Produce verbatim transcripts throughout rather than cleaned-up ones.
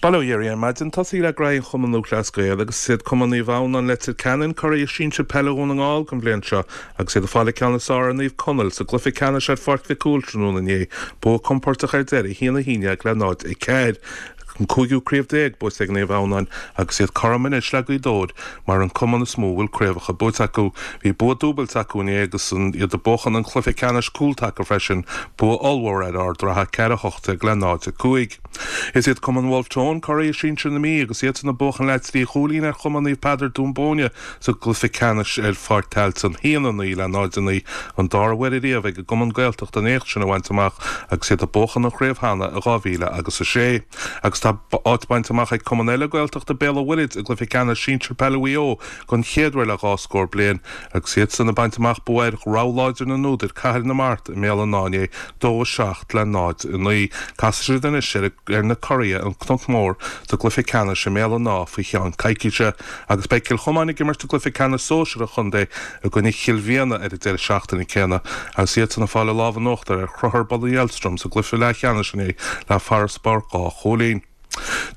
Bail ó Dhia oraibh ar maidin. Tosaí le Graí an Chumann Lúthchleas Gael agus is iad Cumann Naomh Adhamhnáin Leitir Ceanainn curaidh sinsir peile Dhún na nGall don bhliain seo agus iad ag fáil an ceann is fearr ar Naomh Conaill sa gcluiche ceannais ar Pháirc Mhic Cumhaill tráthnóna inné. Bua compordach ar deireadh, a haon a haon déag le náid a ceathair. An cúigiú craobh déag buaite ag Naomh Adhamhnáin agus iad cothrom anois le Gaoth Dobhair mar an cumann is mó a bhfuil craobhacha buaite acu. Bhí bua dúbailte acu inné agus iad ag buachan an cluiche ceannais cúltaca freisin, bua ollmhór ar Ard an Rátha ceithre a hocht déag le náid a cúig. Is iad Cumann Wolfe Tone curaidh sinsir na Mí agus iadsan ag buachan le trí chúilín ar Chumann Naomh Peadar Dún Bóinne sa gcluiche ceannais ar Pháirc Tailteann, a haon a naoi le náid a naoi, an dara huair ariamh ag an gcumann Gaeltachta an éacht sin a bhaint amach agus iad ag buachan an chraobh cheana i dhá mhíle agus a sé. Agus tá áit bainte amach ag cumann eile Gaeltachta Béal an Mhuirthead i gcluiche ceannais sinsir peile Mhaigh Eo don chéad uair le dhá scór bliain agus iadsan ag baint amach bua ar rogha láidir na n-údar, Cathair na Mart i mBéal an Átha inné, dó a seacht le náid a naoi. Casfaidh siad anois ar ar na curaidh, an Cnoc Mór, sa gcluiche ceannais i mBéal an Átha faoi cheann coicíse agus beidh Cill Chomáin ag imirt i gcluiche ceannais sóisir an chontae i gcoinne Chill Mhiana ar an deireadh seachtaine céanna agus iadsan ag fáil an lámh in uachtar ar Chrothar Bun an Dheilstruim sa gcluiche leathcheannais inné le farasbarr dhá chúilín.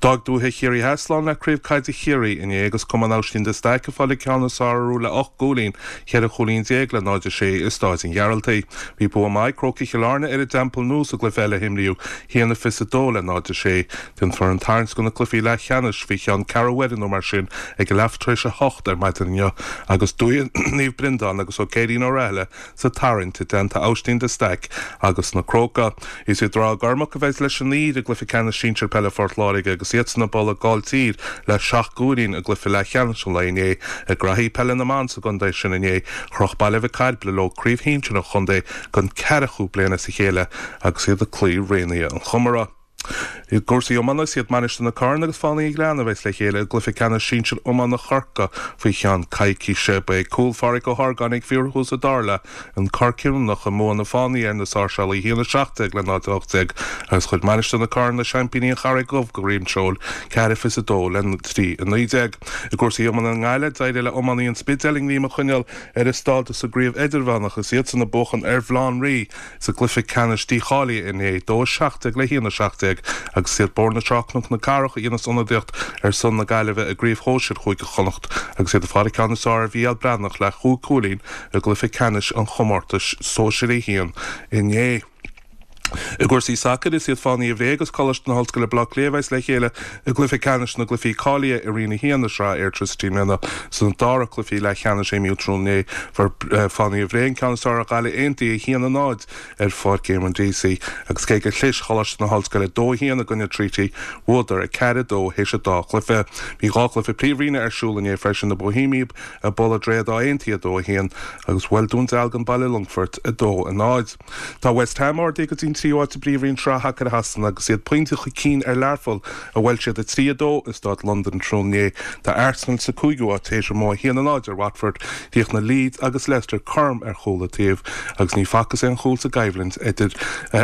D'fhág Dúiche Chiarraí Theas slán le Craobh Caide Chiarraí inné agus Cumann Oisín de Staic ag fáil an ceann is fearr orthu le ocht gcúilín, cheithre chúilín déag le náid a sé i Stáid an Ghearaltaigh. Bhí bua maith ag Crócaigh Chill Airne ar an dTeampall Nua sa gcluiche eile a himríodh, a haon a fiche a dó le náid a sé. Déanfar an tarraingt do na cluichí leathcheannais faoi cheann ceathrú uaire nó mar sin ag a leath tar éis a hocht ar maidin inniu agus Dúiche Naomh Breandán agus Ó Céirín Ó Rathaille sa tarraingt i dteannta Oisín de Staic agus na Crócaigh. Is iad Ráth Gormach a bheidh leis an Uíbh i gcluiche ceannais sinsir peile Phort Láirge agus iadsan ag bualadh Gailltír le seacht gcúilín i gcluiche leathcheannais an lae inné. I gcraithí peile na mban sa gcontae sin inné, chroch Baile Mhic Cairbre leo craobh shinsir an chontae don ceathramhú bliain as a chéile agus iad ag cloí Raonaithe an Chomaire. I gcúrsaí iomána, is iad Mainistir na Corann agus Fánaí an Ghleanna a bheas le chéile i gcluiche ceannais sinsir iomána Chorcaí faoi cheann coicíse. Ba é cúl Pháraic Ó hArgáin ag fíorthús an dara leath an cor cinniúnach i mbua na Fánaí ar na Sáirséalaigh, a haon a seacht déag le náid a hocht déag, agus chuir Mainistir na Corann na seaimpíní an Charraig Dhubh go droim seoil, ceathair fiche a dó le trí a naoi déag. I gcúrsaí iomána i nGaillimh, d'éirigh le iománaí an Spidéil a ngreim a choinneáil ar a stádas i gcraobh idirmheánach is iadsan ag buachan ar Bhaile Átha an Rí sa gcluiche ceannais dícháilithe inné, dó a seacht déag le haon a seacht déag, agus is iad Bóthar na Trá-Cnoc na Cathrach a dhéanas ionadaíocht ar son na Gaillimhe i gcraobh shóisir Chúige Chonnacht agus iad ag fáil an ceann is fearr ar Mhícheál Breathnach le chúig chúilín i gcluiche ceannais an chomórtais Sóisir a haon inné. I gcúrsaí sacair, is iad Fánaithe Bhré agus Coláiste na hOllscoile Baile Átha Cliath a bheas le chéile i gcluiche ceannais na gcluichí cáilithe i Roinn a haon na Sraithe Airtricity i mbliana. Sna dara cluichí leathcheannais a imríodh tráthnóna inné, fuair Fánaithe Bhré an ceann is fearr ar Ghaillimh Aontaithe, a haon a náid, ar Pháirc Éamonn Deacy agus cé gur chlis Choláiste na hOllscoile dó a haon i gcoinne Treaty, bhuadar a ceathair a dó théis an dá chluiche. Bhí dhá chluiche Príomhroinne ar siúl inné freisin, na Boihéamaigh ag bualadh Droichead Átha Aontaithe a dó a haon agus bhuail Dún Dealgan Baile Longfoirt a dó a náid. Tá West Ham ardaithe go dtí an tríú háit i bPríomhroinn Shraith Shacair Shasana agus iad pointe chun cinn ar Learpholl, a bhuail siad a trí a dó i Staid Londan tráthnóna inné. Tá Arsenal sa cúigiú háit théis a mbua a haon a náid ar Watford. Chríochnaigh Leeds agus Leicester cothrom ar chúl an taobh agus ní facthas aon chúl sa gcoimhlint idir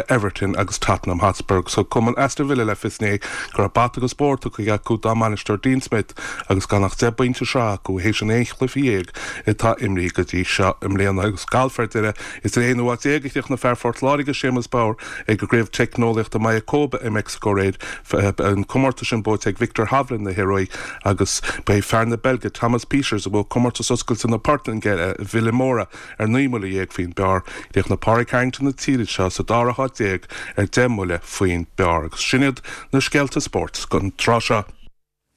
Everton agus Tottenham Hotspur. Thug cumann Aston Villa le fios inné go raibh bata agus bóthar tugtha acu dá mbainisteoir Dean Smith agus gan ach deich bpointe sraithe acu théis an aon chluiche dhéag atá imrithe go dtí seo i mbliana. Agus galf ar deireadh, is ar aonú háit déag a chríochnaigh fear Phort Láirge, Séamus Power, ag an gCraobh Teicneolaíochta Mayakoba i Meicsiceo aréir. An comórtas sin buaite ag Viktor Hovland na hIoruaí agus ba é fear na Beilge Thomas Pieters a bhuaigh Comórtas Oscailte na Portaingéile i Vilamoura ar naoi mbuille dhéag faoin bpar. Chríochnaigh Pádraig Harrington na tíre seo sa dara háit déag ar deich mbuille faoin bpar. Agus sin iad na scéalta spóirt don tráth seo.